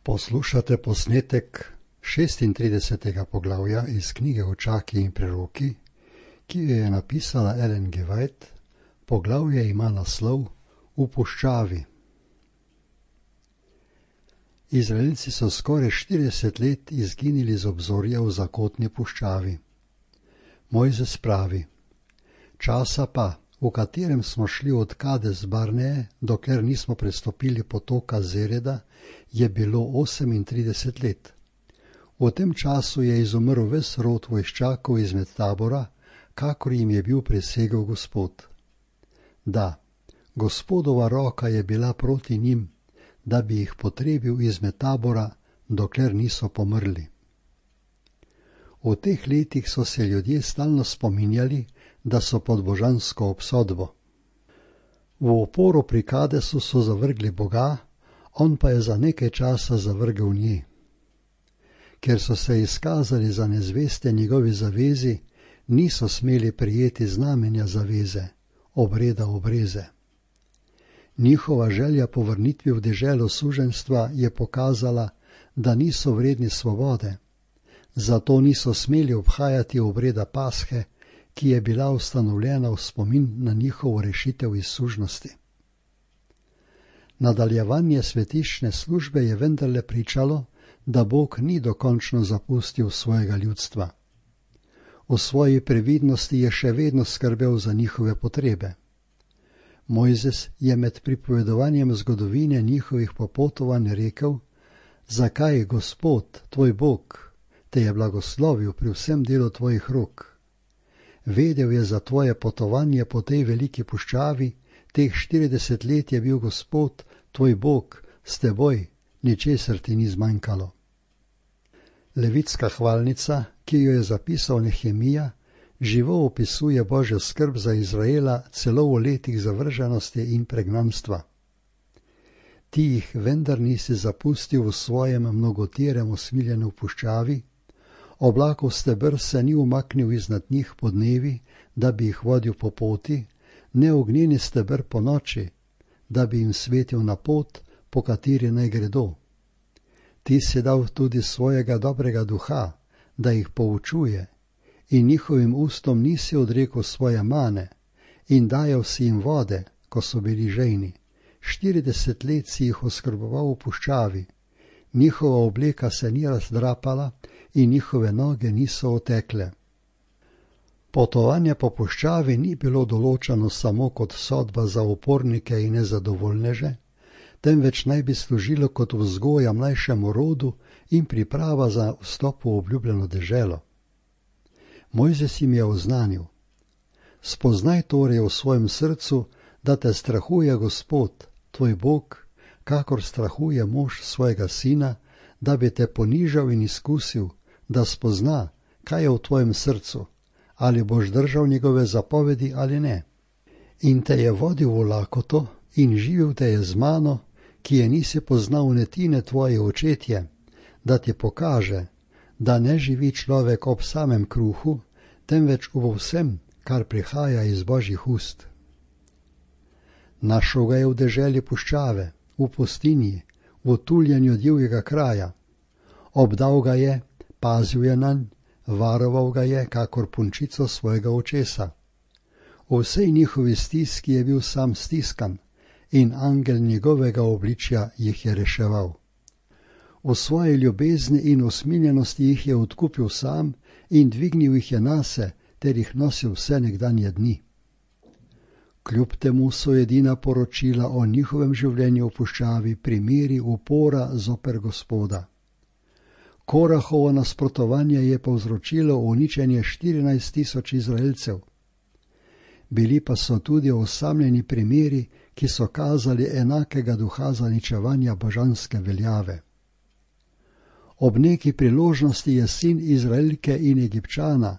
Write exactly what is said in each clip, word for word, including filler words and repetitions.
Poslušate posnetek šestintridesetega poglavja iz knjige Očaki in preroki, ki jo je napisala Ellen G. White. Poglavje ima naslov V puščavi. Izraelci so skoraj štirideset let izginili z obzorja v zakotni puščavi. Mojzes pravi: časa pa, v katerem smo šli od Kades Barneje, dokler nismo prestopili potoka Zereda, je bilo osemintrideset let. V tem času je izumrl ves rod vojščakov izmed tabora, kakor jim je bil prisegel Gospod. Da, Gospodova roka je bila proti njim, da bi jih potrebil izmed tabora, dokler niso pomrli. V teh letih so se ljudje stalno spominjali, da so pod božansko obsodbo. V oporu pri Kadesu so zavrgli Boga, on pa je za nekaj časa zavrgel nje. Ker so se izkazali za nezveste njegovi zavezi, niso smeli prijeti znamenja zaveze, obreda obreze. Njihova želja po vrnitvi v deželo suženjstva je pokazala, da niso vredni svobode, zato niso smeli obhajati obreda Pashe, ki je bila ustanovljena v spomin na njihovo rešitev iz sužnosti. Nadaljevanje svetišne službe je vendarle pričalo, da Bog ni dokončno zapustil svojega ljudstva. V svoji previdnosti je še vedno skrbel za njihove potrebe. Mojzes je med pripovedovanjem zgodovine njihovih popotovanj rekel: zakaj, Gospod, tvoj Bog, te je blagoslovil pri vsem delu tvojih rok? Vedel je za tvoje potovanje po tej veliki puščavi, teh štirideset let je bil Gospod, tvoj Bog, s teboj, ničesar ti ni zmanjkalo. Levitska hvalnica, ki jo je zapisal Nehemija, živo opisuje Božjo skrb za Izraela celo v letih zavrženosti in pregnanstva. Ti jih vendar nisi zapustil v svojem mnogotirem usmiljenju v puščavi, oblakov steber se ni umaknil iznad njih po dnevi, da bi jih vodil po poti, ne ognjeni steber po noči, da bi jim svetil na pot, po kateri naj gredo. Ti si dal tudi svojega dobrega duha, da jih poučuje, in njihovim ustom nisi odrekel svoje mane, in dajal si jim vode, ko so bili žejni. Štirideset let si jih oskrboval v puščavi, njihova obleka se ni razdrapala in njihove noge niso otekle. Potovanje po puščavi ni bilo določeno samo kot sodba za upornike in nezadovoljneže, temveč naj bi služilo kot vzgoja mlajšemu rodu in priprava za vstop v obljubljeno deželo. Mojzes jim je oznanil: spoznaj torej v svojem srcu, da te strahuje Gospod, tvoj Bog, kakor strahuje mož svojega sina, da bi te ponižal in izkusil, da spozna, kaj je v tvojem srcu, ali boš držal njegove zapovedi ali ne. In te je vodil v lakoto in živil te je z mano, ki je nisi poznal netine tvoje očetje, da ti pokaže, da ne živi človek ob samem kruhu, temveč v vsem, kar prihaja iz Božjih ust. Našel ga je v deželi puščave, v pustinji, v tuljenju divjega kraja. Obdal ga je, pazil je nanj, varoval ga je, kakor punčico svojega očesa. V vsej njihovi stiski je bil sam stiskan in angel njegovega obličja jih je reševal. V svoji ljubezni in usmiljenosti jih je odkupil sam in dvignil jih je nase, ter jih nosil vse nekdanje dni. Kljub temu so edina poročila o njihovem življenju v puščavi primeri upora zoper Gospoda. Korahovo nasprotovanje je povzročilo uničenje štirinajst tisoč Izraelcev. Bili pa so tudi osamljeni primeri, ki so kazali enakega duha zaničevanja božanske veljave. Ob neki priložnosti je sin Izraelke in Egipčana,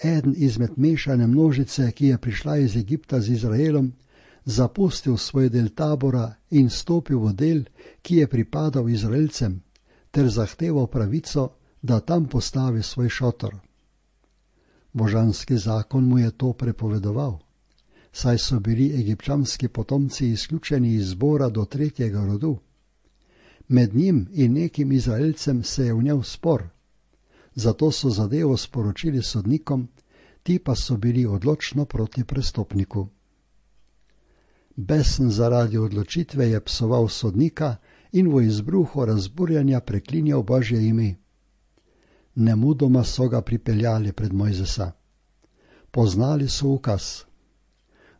eden izmed mešane množice, ki je prišla iz Egipta z Izraelom, zapustil svoj del tabora in stopil v del, ki je pripadal Izraelcem, ter zahteval pravico, da tam postavi svoj šotor. Božanski zakon mu je to prepovedoval, saj so bili egipčanski potomci izključeni iz zbora do tretjega rodu. Med njim in nekim Izraelcem se je vnel spor, zato so zadevo sporočili sodnikom, ti pa so bili odločno proti prestopniku. Besen zaradi odločitve je psoval sodnika in v izbruhu razburjanja preklinjal Božje ime. Nemudoma so ga pripeljali pred Mojzesa. Poznali so ukaz.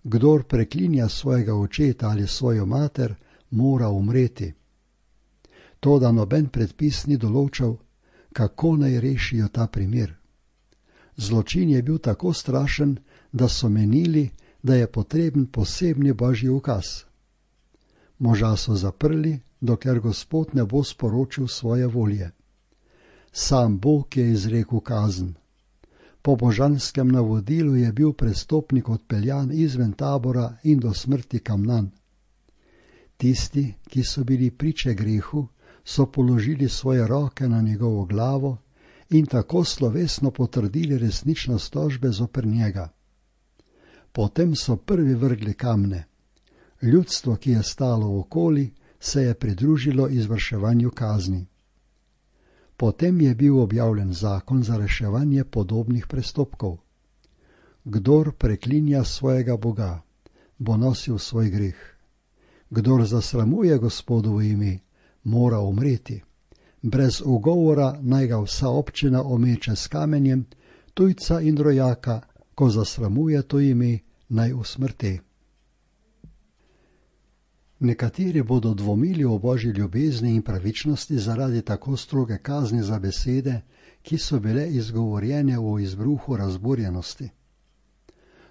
Kdor preklinja svojega očeta ali svojo mater, mora umreti. Toda noben predpis ni določal, kako naj rešijo ta primer. Zločin je bil tako strašen, da so menili, da je potreben posebni Božji ukaz. Moža so zaprli, dokler Gospod ne bo sporočil svoje volje. Sam Bog je izrekel kazen. Po božanskem navodilu je bil prestopnik odpeljan izven tabora in do smrti kamnan. Tisti, ki so bili priče grehu, so položili svoje roke na njegovo glavo in tako slovesno potrdili resničnost tožbe zoper njega. Potem so prvi vrgli kamne. Ljudstvo, ki je stalo okoli, se je pridružilo izvrševanju kazni. Potem je bil objavljen zakon za reševanje podobnih prestopkov. Kdor preklinja svojega Boga, bo nosil svoj greh. Kdor zasramuje Gospodovo ime, mora umreti. Brez ugovora naj ga vsa občina omeče s kamenjem, tujca in rojaka, ko zasramuje to ime, naj usmrte. Nekateri bodo dvomili o Božji ljubezni in pravičnosti zaradi tako stroge kazni za besede, ki so bile izgovorjene v izbruhu razburjenosti.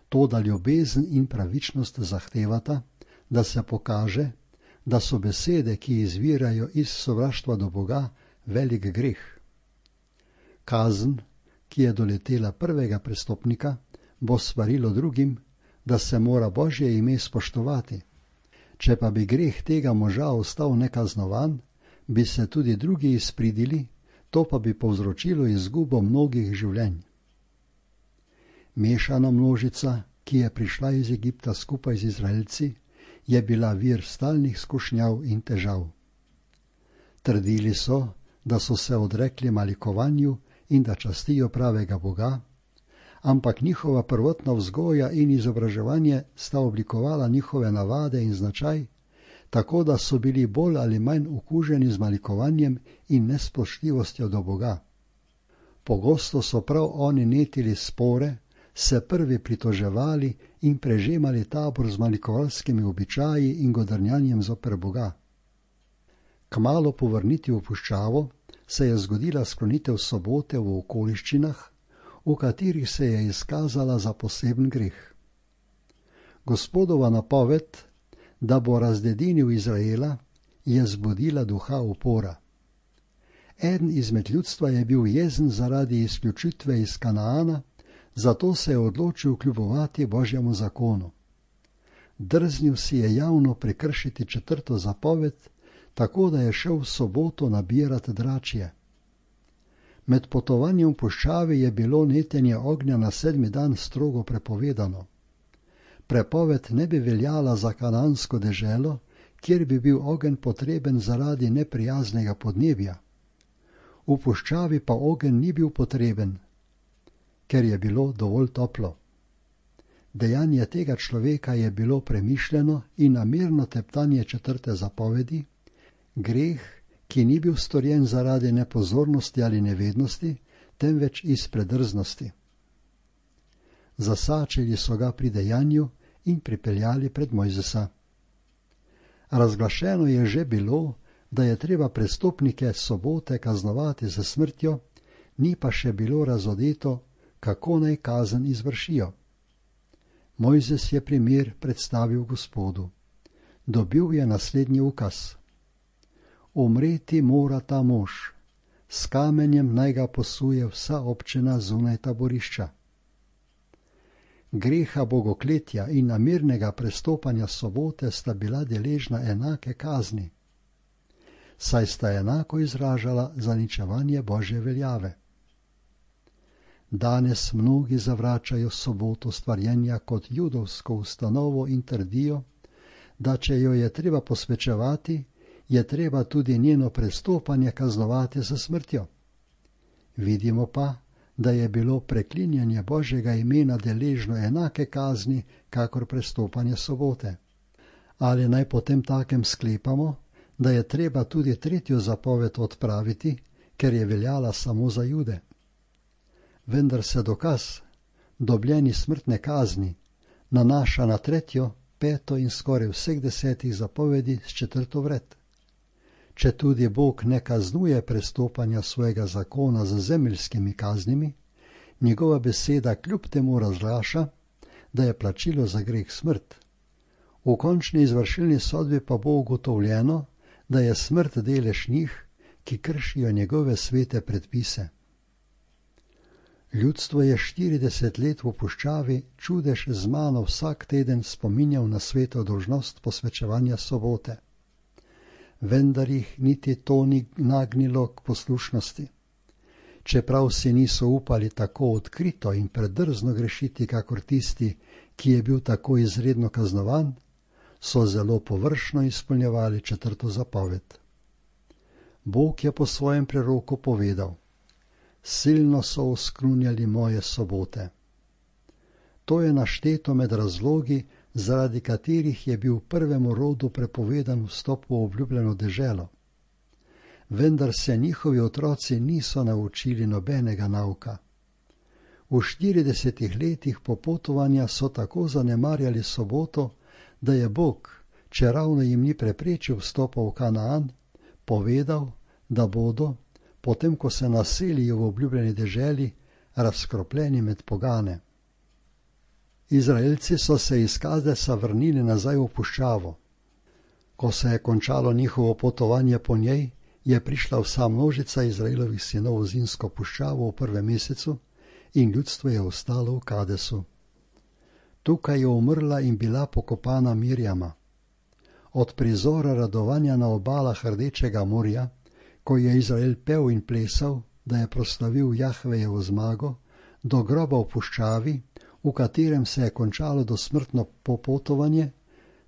Toda ljubezen in pravičnost zahtevata, da se pokaže, da so besede, ki izvirajo iz sovraštva do Boga, velik greh. Kazen, ki je doletela prvega prestopnika, bo svarilo drugim, da se mora Božje ime spoštovati. Če pa bi greh tega moža ostal nekaznovan, bi se tudi drugi izpridili, to pa bi povzročilo izgubo mnogih življenj. Mešana množica, ki je prišla iz Egipta skupaj z Izraelci, je bila vir stalnih skušnjav in težav. Trdili so, da so se odrekli malikovanju in da častijo pravega Boga, ampak njihova prvotna vzgoja in izobraževanje sta oblikovala njihove navade in značaj, tako da so bili bolj ali manj okuženi z malikovanjem in nespoštljivostjo do Boga. Pogosto so prav oni netili spore, se prvi pritoževali in prežemali tabor z malikovalskimi običaji in godrnjanjem zoper Boga. Kmalu po vrnitvi v puščavo se je zgodila sklonitev sobote v okoliščinah, v katerih se je izkazala za poseben greh. Gospodova napoved, da bo razdedinil Izraela, je zbudila duha upora. Eden izmed ljudstva je bil jezen zaradi izključitve iz Kanaana, zato se je odločil kljubovati Božjemu zakonu. Drznil si je javno prekršiti četrto zapoved, tako da je šel v soboto nabirati dračje. Med potovanjem v puščavi je bilo netenje ognja na sedmi dan strogo prepovedano. Prepoved ne bi veljala za kanansko deželo, kjer bi bil ogenj potreben zaradi neprijaznega podnebja. V puščavi pa ogenj ni bil potreben, ker je bilo dovolj toplo. Dejanje tega človeka je bilo premišljeno in namerno teptanje četrte zapovedi, greh, ki ni bil storjen zaradi nepozornosti ali nevednosti, temveč iz predrznosti. Zasačili so ga pri dejanju in pripeljali pred Mojzesa. Razglašeno je že bilo, da je treba prestopnike sobote kaznovati za smrtjo, ni pa še bilo razodeto, kako naj kazen izvršijo. Mojzes je primer predstavil Gospodu. Dobil je naslednji ukaz. Umreti mora ta mož, s kamenjem naj ga posuje vsa občina zunaj taborišča. Greha bogokletja in namernega prestopanja sobote sta bila deležna enake kazni, saj sta enako izražala zaničevanje Božje veljave. Danes mnogi zavračajo soboto stvarjenja kot judovsko ustanovo in trdijo, da če jo je treba posvečevati, je treba tudi njeno prestopanje kaznovati s smrtjo. Vidimo pa, da je bilo preklinjanje Božjega imena deležno enake kazni, kakor prestopanje sobote. Ali naj potem takem sklepamo, da je treba tudi tretjo zapoved odpraviti, ker je veljala samo za Jude? Vendar se dokaz, dobljeni smrtne kazni, nanaša na tretjo, peto in skoraj vseh desetih zapovedi s četrto vred. Če tudi Bog ne kaznuje prestopanja svojega zakona z zemeljskimi kaznimi, njegova beseda kljub temu razglaša, da je plačilo za greh smrt. V končni izvršilni sodbi pa bo ugotovljeno, da je smrt delež njih, ki kršijo njegove svete predpise. Ljudstvo je štirideset let v puščavi čudež z mano vsak teden spominjal na sveto dolžnost posvečevanja sobote. Vendar jih niti to ni nagnilo k poslušnosti. Čeprav si niso upali tako odkrito in predrzno grešiti, kakor tisti, ki je bil tako izredno kaznovan, so zelo površno izpolnjevali četrto zapoved. Bog je po svojem preroku povedal: silno so oskrunjali moje sobote. To je našteto med razlogi, zaradi katerih je bil prvemu rodu prepovedan vstop v obljubljeno deželo. Vendar se njihovi otroci niso naučili nobenega nauka. V štiridesetih letih popotovanja so tako zanemarjali soboto, da je Bog, če ravno jim ni preprečil vstopa v Kanaan, povedal, da bodo, potem ko se naselijo v obljubljeni deželi, razkropljeni med pogane. Izraelci so se iz Kadesa vrnili nazaj v puščavo. Ko se je končalo njihovo potovanje po njej, je prišla vsa množica Izraelovih sinov v zimsko puščavo v prvem mesecu in ljudstvo je ostalo v Kadesu. Tukaj je umrla in bila pokopana Mirjama. Od prizora radovanja na obalah Rdečega morja, ko je Izrael pel in plesal, da je proslavil Jahvejevo zmago, do groba v puščavi, v katerem se je končalo dosmrtno popotovanje,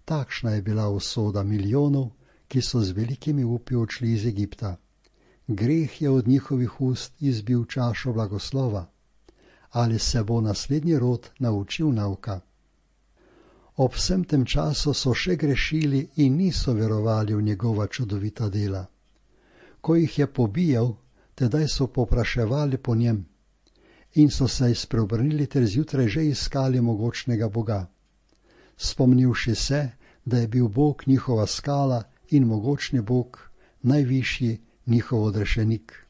takšna je bila usoda milijonov, ki so z velikimi upi odšli iz Egipta. Greh je od njihovih ust izbil čašo blagoslova. Ali se bo naslednji rod naučil nauka? Ob vsem tem času so še grešili in niso verovali v njegova čudovita dela. Ko jih je pobijal, tedaj so popraševali po njem in so se spreobrnili ter zjutraj že iskali mogočnega Boga. Spomnivši se, da je bil Bog njihova skala in mogočni Bog, najvišji njihov odrešenik.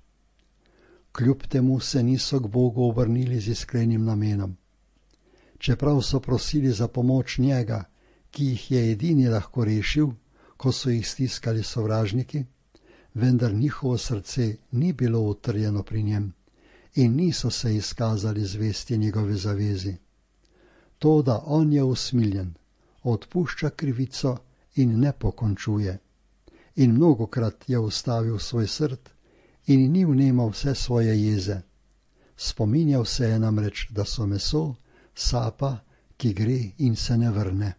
Kljub temu se niso k Bogu obrnili z iskrenim namenom. Čeprav so prosili za pomoč njega, ki jih je edini lahko rešil, ko so jih stiskali sovražniki, vendar njihovo srce ni bilo utrjeno pri njem in niso se izkazali zvesti njegove zavezi. To, da on je usmiljen, odpušča krivico in ne pokončuje. In mnogokrat je ustavil svoj srd in ni vnemal vse svoje jeze. Spominjal se je namreč, da so meso, sapa, ki gre in se ne vrne.